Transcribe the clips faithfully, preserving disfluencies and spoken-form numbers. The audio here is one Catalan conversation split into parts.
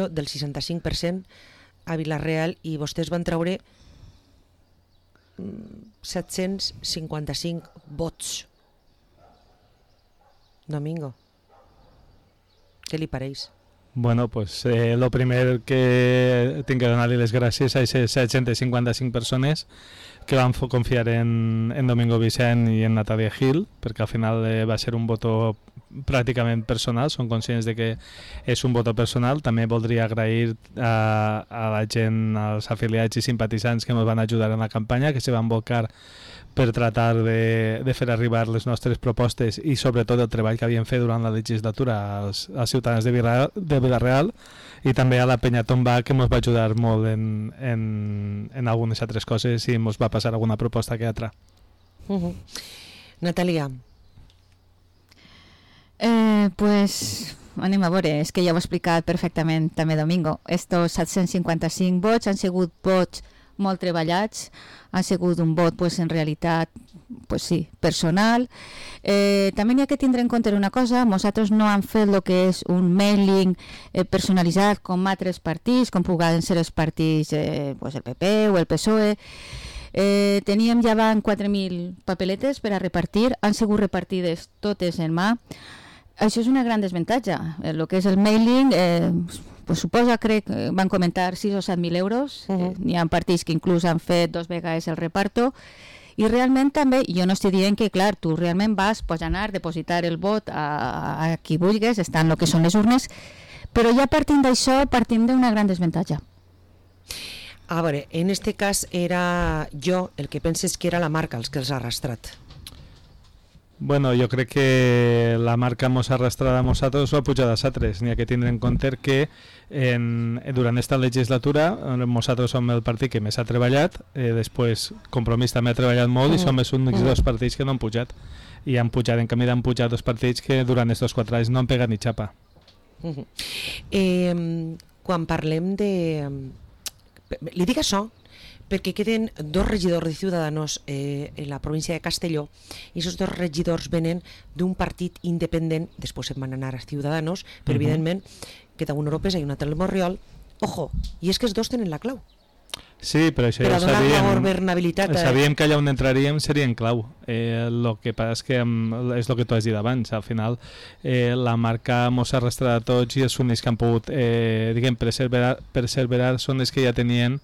del seixanta-cinc per cent a Vila-real i vostès van treure set-cents cinquanta-cinc vots. Domingo, què li pareix? Bueno, pues eh, lo primer que tinc que donar-li les gràcies a aquestes set-cents cinquanta-cinc persones que van confiar en, en Domingo Vicent i en Natàlia Gil, perquè al final eh, va ser un voto pràcticament personal, són conscients de que és un voto personal. També voldria agrair a, a la gent, als afiliats i simpatitzants que ens van ajudar en la campanya, que se van volcar per tratar de, de fer arribar les nostres propostes i sobretot el treball que havien fet durant la legislatura als, als ciutadans de Vila-real, de Vila-real, i també a la Penya Tomba, que ens va ajudar molt en, en, en algunes altres coses i ens va passar alguna proposta que altra. Uh-huh. Natàlia. Eh, pues anem a veure, és que ja ho ha explicat perfectament també Domingo. Estos set-cents cinquanta-cinc vots han sigut vots molt treballats, ha sigut un vot pues, en realitat pues, sí, personal. Eh, també hi ha que tindre en compte una cosa, nosaltres no hem fet el que és un mailing eh, personalitzat com altres partits, com puguen ser els partits eh, pues, el P P o el P S O E. Eh, teníem ja van quatre mil papeletes per a repartir, han sigut repartides totes en mà. Això és una gran desavantatge. El que és el mailing, eh, pues suposa, crec, van comentar sis o set mil euros. Uh-huh. eh, N'hi ha partits que inclús han fet dos vegades el reparto. I realment també, jo no estic dient que, clar, tu realment vas, pots anar, depositar el vot a, a qui vulguis, estan el que són les urnes, però ja partint d'això, partim d'una gran desavantatge. A veure, en este cas era jo el que penses que era la marca els que els ha arrastrat. Bueno, jo crec que la marca mos ha arrastrat a nosaltres o ha pujat a nosaltres. N'hi ha que tindre en compte que en, durant aquesta legislatura nosaltres som el partit que més ha treballat, eh, després Compromís també ha treballat molt i som els únics dos partits que no han pujat. I han pujat, en canvi han pujat dos partits que durant aquests quatre anys no han pegat ni xapa. Uh-huh. eh, quan parlem de... Li dic això perquè queden dos regidors de Ciudadanos eh, en la província de Castelló i aquests dos regidors venen d'un partit independent, després se'n van anar a Ciudadanos, però uh-huh. evidentment queda un Europes i un altre el Morriol. Ojo, i és que els dos tenen la clau. Sí, però això per ja ho sabíem, sabíem que allà on entraríem seria en clau. Eh, el que passa és que és el que tu has dit abans, al final eh, la marca mos ha arrastrat a tots i els únics que han pogut eh, diguem, perseverar, perseverar són els que ja tenien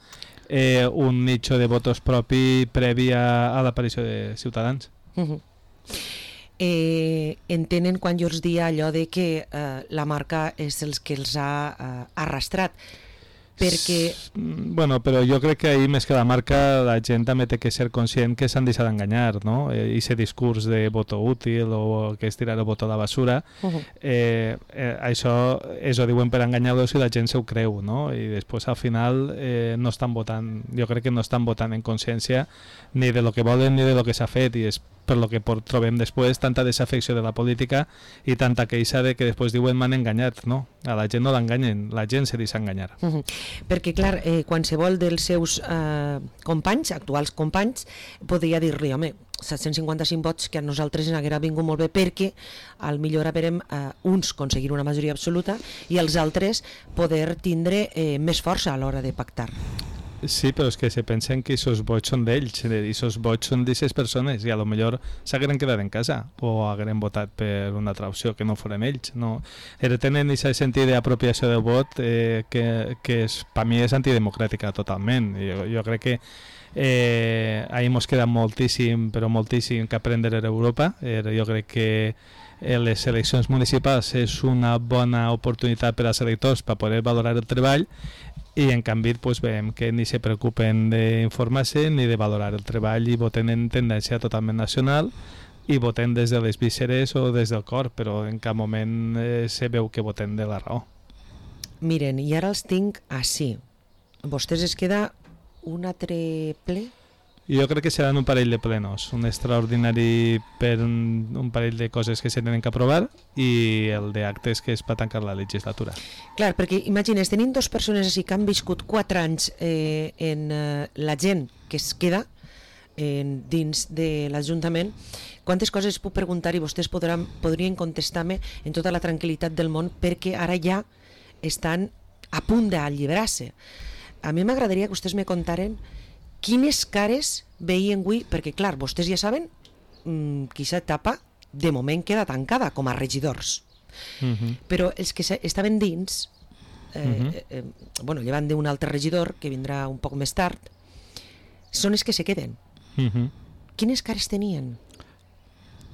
eh, un nicho de votos propi previ a, a l'aparició de Ciutadans. Uh-huh. eh, entenen quan jo els dia allò de que eh, la marca és els que els ha eh, arrastrat, perquè... Bueno, però jo crec que ahir més que la marca la gent també té que ser conscient que s'han deixat d'enganyar, no? I aquest discurs de voto útil o que és tirar el voto a la basura, uh-huh. eh, eh, això és ho diuen per enganyar-los i la gent se ho creu, no? I després al final eh, no estan votant, jo crec que no estan votant en consciència ni de lo que volen ni de lo que s'ha fet, i és per lo que trobem després tanta desafecció de la política i tanta queixa de que després diuen m'han enganyat, no? A la gent no l'enganyen, la gent se deixa enganyar. Uh-huh. Perquè clar, eh, qualsevol dels seus eh, companys, actuals companys, podria dir-li, home, set-cents cinquanta-cinc vots que a nosaltres ens haguera vingut molt bé perquè al millor haverem eh, uns aconseguir una majoria absoluta i els altres poder tindre eh, més força a l'hora de pactar. Sí, però és que se pensen que aquests vots són d'ells i aquests vots són d'aquestes persones i a lo millor s'hagueren quedat en casa o hagueren votat per una altra opció que no foren ells, no? Era tenen aquest sentit d'apropiació del vot eh, que, que és, per mi és antidemocràtica totalment. Jo, jo crec que eh, ahir mos queda moltíssim, però moltíssim que aprendre a Europa. Eh, jo crec que eh, les eleccions municipals és una bona oportunitat per als electors per poder valorar el treball i en canvi pues, veiem que ni se preocupen d'informar-se ni de valorar el treball i voten en tendència totalment nacional i voten des de les vísceres o des del cor, però en cap moment eh, se veu que voten de la raó. Miren, i ara els tinc així. Vostès es queda un altre ple? Jo crec que seran un parell de plenos, un extraordinari per un, un parell de coses que se tenen que aprovar i el d'actes que és per tancar la legislatura. Clar, perquè imagines, tenim dues persones així que han viscut quatre anys eh, en eh, la gent que es queda eh, dins de l'Ajuntament, quantes coses puc preguntar i vostès podran, podrien contestar-me en tota la tranquil·litat del món perquè ara ja estan a punt d'alliberar-se. A mi m'agradaria que vostès me contaren quines cares veien avui, perquè clar, vostès ja saben mmm, que aquesta etapa de moment queda tancada com a regidors. Uh-huh. Però els que estaven dins, eh, uh-huh. eh, eh, bueno, llevant d'un altre regidor que vindrà un poc més tard, són els que se queden. Uh-huh. Quines cares tenien?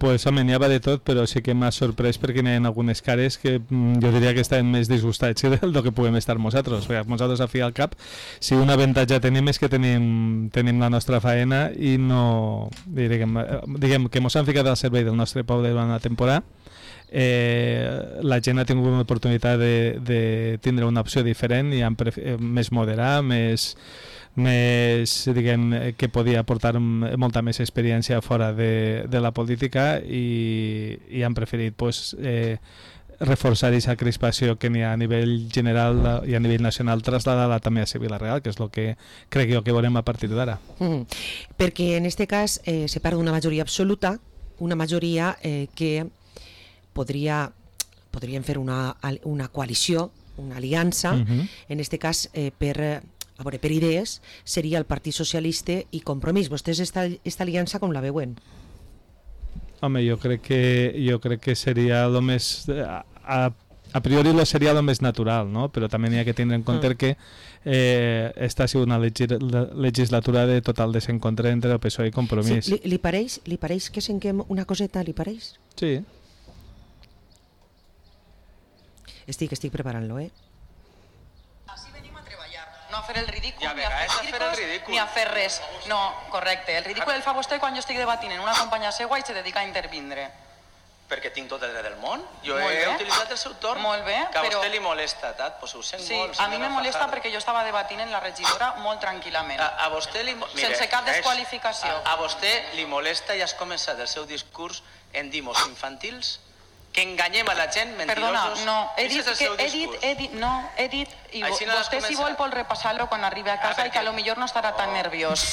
Pues home, n'hi havia de tot, però sí que m'ha sorprès perquè n'hi ha algunes cares que mm, jo diria que estaven més disgustats del que puguem estar nosaltres. Perquè nosaltres, a fi al cap, si un avantatge tenim és que tenim, tenim la nostra faena i no... Diguem, diguem que ens han ficat al servei del nostre poble durant la temporada. Eh, la gent ha tingut una oportunitat de, de tindre una opció diferent i han pref- més moderada, més... més, diguem, que podia aportar molta més experiència fora de, de la política i, i han preferit pues, eh, reforçar aquesta crispació que n'hi ha a nivell general i a nivell nacional, traslladar-la també a Sevilla Real, que és el que crec jo que veurem a partir d'ara. Mm. Perquè en este cas eh, se perd una majoria absoluta, una majoria eh, que podria, podrien fer una, una coalició, una aliança, uh-huh. en este cas eh, per... A veure, per idees, seria el Partit Socialista i Compromís. Vostès esta, esta aliança com la veuen? Home, jo crec que, jo crec que seria el més... A, a priori lo seria el més natural, no? Però també n'hi ha que tindre en compte mm. que eh, esta ha sigut una legislatura de total desencontre entre el P S O E i Compromís. Sí, li, li, pareix, li pareix que senquem una coseta, li pareix? Sí. Estic, estic preparant-lo, eh? No a fer el ridícul, ja, ni a fer, a fer el ridícul. ni a fer res. No, correcte. El ridícul el fa vostè quan jo estic debatint en una companya seua i se dedica a intervindre. Perquè tinc tot el dret del món. Jo Molt he bé. utilitzat el seu torn. Molt bé, que a però... vostè li molesta, tat? Pues ho sent Sí, molt, a mi me molesta Fajardo. perquè jo estava debatint en la regidora molt tranquil·lament. A, a vostè li... Mire, sense cap és- desqualificació. A, a vostè li molesta i has començat el seu discurs en dimos infantils que enganyem a la gent, Perdona, mentirosos. no, he dit, Ese és el que, seu he dit, discurs. he dit, no, he dit, i Així no has vostè si començat. vol pot repassar-lo quan arribi a casa Ah, i que a lo perquè- millor no estarà tan Oh. nerviós.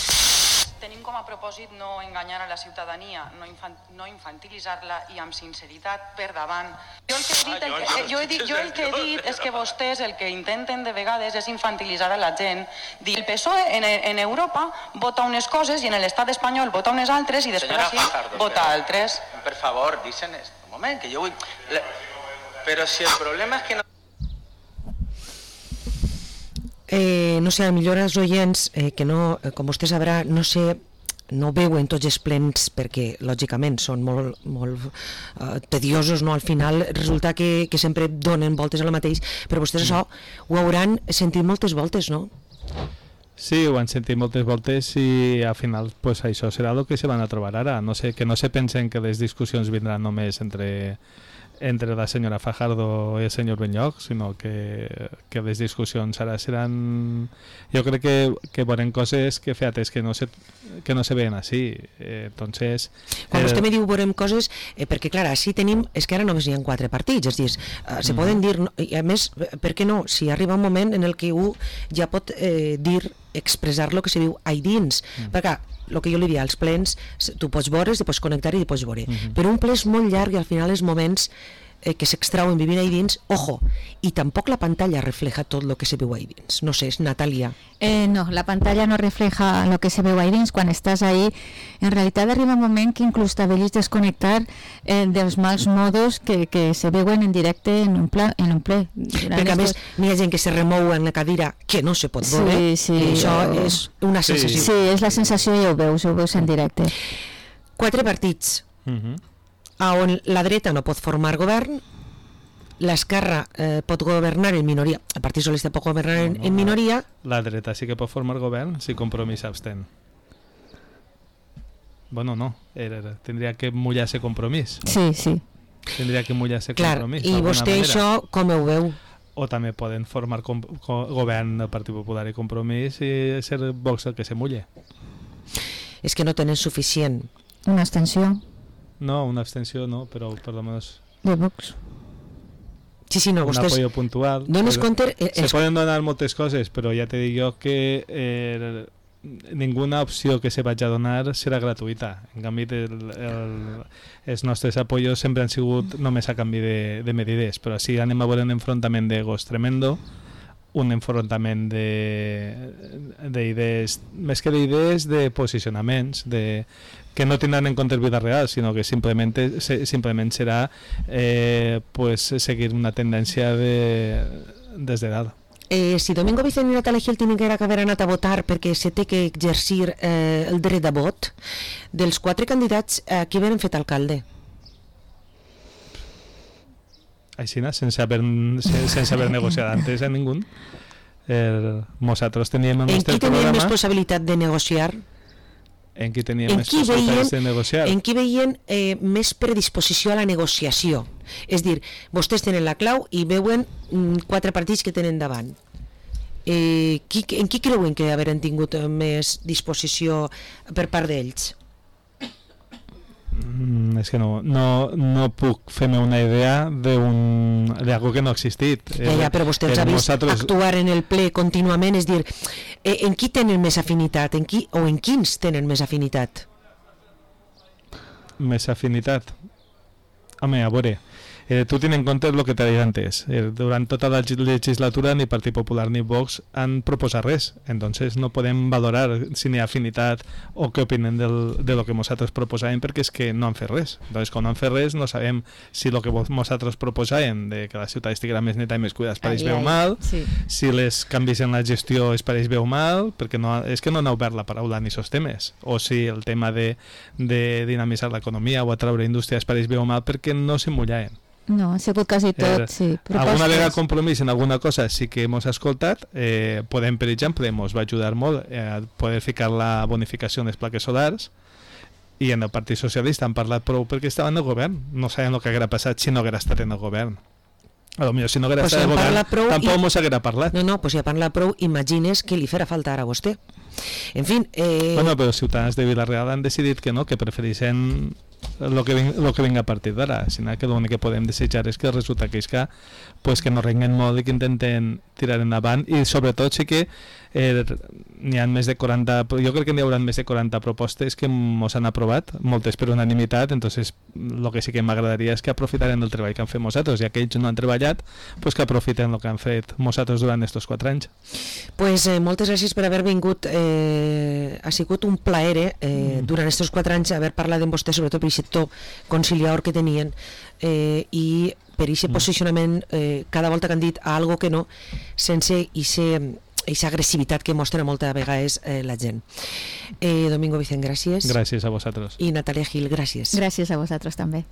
Tenim com a propòsit no enganyar a la ciutadania, no, infan, no infantilitzar-la i amb sinceritat per davant. Jo el que he dit, el, Ah, jo- que, jo- jo he dit, jo el que he dit és que vostès el que intenten de vegades és infantilitzar a la gent. Dir el P S O E en, en Europa vota unes coses i en l'estat espanyol vota unes altres i després Senyora així Fajardo, vota però- altres. Per favor, dicen esto. Un moment, que jo vull... La... Però si el problema és que no... Eh, no sé, a millor els oients, eh, que no, eh, com vostè sabrà, no sé, no veuen tots els plens perquè lògicament són molt, molt uh, tediosos, no? Al final resulta que, que sempre donen voltes a la mateix, però vostès això ho hauran sentit moltes voltes, no? Sí, ho han sentit moltes voltes i al final pues, això serà el que se van a trobar ara. No sé, que no se pensen que les discussions vindran només entre, entre la senyora Fajardo i el senyor Benlloch, sinó que, que les discussions ara seran... Jo crec que, que veurem coses que, fíjate, que no se, que no se veuen així. Eh, entonces... Quan eh, vostè me diu veurem coses, eh, perquè clar, així tenim, és que ara només hi ha quatre partits, és a dir, eh, se Mm. poden dir, no, i a més, per què no, si arriba un moment en el que un ja pot eh, dir, expressar lo que se diu ahí dins, Mm. perquè el que jo li dia, als plens, s- tu pots veure, te pots connectar i te pots veure, Mhm. però un ple és molt llarg i al final els moments eh, que s'extrauen vivint ahí dins, ojo, i tampoc la pantalla refleja tot el que se veu ahí dins, no sé, és Natàlia. Eh, no, la pantalla no refleja lo que se veu ahí dins. Quan estàs ahí, en realitat arriba un moment que inclús t'avellis desconnectar eh, dels mals modos que, que se veuen en directe en un, pla, en un ple. Durant Perquè a més estos- n'hi ha gent que se remou en la cadira que no se pot Sí, veure, sí, i això o- és una Sí. sensació. Sí, és la sensació i ho veus, ho veus en directe. Quatre partits mhm. a on la dreta no pot formar govern, l'esquerra eh, pot governar en minoria, el Partit Socialista pot governar en, No, no, en minoria, La dreta sí que pot formar govern si Compromís s'abstén. Bueno, no, era, era, tindria que mullar-se Compromís. Sí, sí. Tindria que mullar-se clar, Compromís. i d'alguna vostè manera. això com ho veu? O també poden formar com, co, govern del Partit Popular i Compromís i ser Vox el que se mulle. És que no tenen suficient. Una extensió No, una abstenció no, però per lo menos de Vox. Sí, sí, no, un vostès apoyo puntual. dones Però- compte... Eh, Se els, poden donar moltes coses, però ja te dic jo que eh, ninguna opció que se vagi a donar serà gratuïta. En canvi, el, el, els nostres apoyos sempre han sigut només a canvi de, de medides, però si anem a veure un enfrontament d'egos tremendo, un enfrontament d'idees, més que d'idees, de posicionaments, de, que no tindran en compte vida real, sinó que simplement, simplement serà eh, pues, seguir una tendència de, des de dalt. Eh, si Domingo Vicent i Natalia Gil tenen que haver anat a votar perquè se té que exercir eh, el dret de vot, dels quatre candidats, eh, qui venen fet alcalde? Així, sense haver, sense haver negociat antes a ningú. Eh, nosaltres teníem el nostre programa... En qui teníem programa, més possibilitat de negociar? En qui teníem en més possibilitats de negociar? En qui veien eh, més predisposició a la negociació? És dir, vostès tenen la clau i veuen mm, quatre partits que tenen davant. Eh, qui, en qui creuen que haveren tingut més disposició per part d'ells? Mm, és que no, no, no puc fer-me una idea d'algo que no ha existit. Ja, ja, però vostè els ha vist nosaltres... actuar en el ple contínuament, és dir, eh, en qui tenen més afinitat, en qui, o en quins tenen més afinitat? Més afinitat? Home, a veure, eh, tu tens en compte el que t'he dit antes. Eh, durant tota la legislatura ni Partit Popular ni Vox han proposat res, entonces no podem valorar si n'hi ha afinitat o què opinen del, de lo que nosaltres proposàvem, perquè és que no han fet res. Entonces, quan no han fet res, no sabem si el que nosaltres proposàvem de que la ciutat estiguera més neta i més cuidada es pareix bé o mal, sí. Si les canvis en la gestió es pareix bé o mal, perquè no, és que no han obert la paraula ni sos temes, o si el tema de, de dinamitzar l'economia o atraure indústria es pareix bé o mal, perquè no s'hi mullaven. No, ha sigut quasi tot, eh, sí. Propostes. Alguna vegada compromís en alguna cosa sí que hemos escoltat, eh, podem, per exemple, ens va ajudar molt eh, a poder ficar la bonificació en les plaques solars, i en el Partit Socialista han parlat prou perquè estaven en el govern, no sabem el que haguera passat si no haguera estat en el govern. A lo millor si no haguera pues estat en el govern tampoc i... mos haguera parlat. No, no, pues si ha parlat prou, imagines que li farà falta ara a vostè. En fin... Eh... Bueno, però els ciutadans de Vila-real han decidit que no, que prefereixen el que, ving, lo que vinga a partir d'ara, sinó que l'únic que podem desitjar és que resulta que és que, pues, que no renguen molt i que intenten tirar endavant, i sobretot sí que eh, n'hi ha més de quaranta, jo crec que n'hi haurà més de quaranta propostes que mos han aprovat, moltes per unanimitat, entonces el que sí que m'agradaria és que aprofitaren el treball que han fet nosaltres, ja que ells no han treballat, pues que aprofiten el que han fet nosaltres durant aquests quatre anys. Pues eh, moltes gràcies per haver vingut, eh, ha sigut un plaer eh, mm. durant aquests quatre anys haver parlat amb vostè, sobretot per aquest to conciliador que tenien, eh, i per aquest mm. posicionament eh, cada volta que han dit algo que no, sense aquesta agressivitat que mostra moltes vegades eh, la gent. eh, Domingo Vicent, gràcies. Gràcies a vosaltres. I Natalia Gil, gràcies. Gràcies a vosaltres també.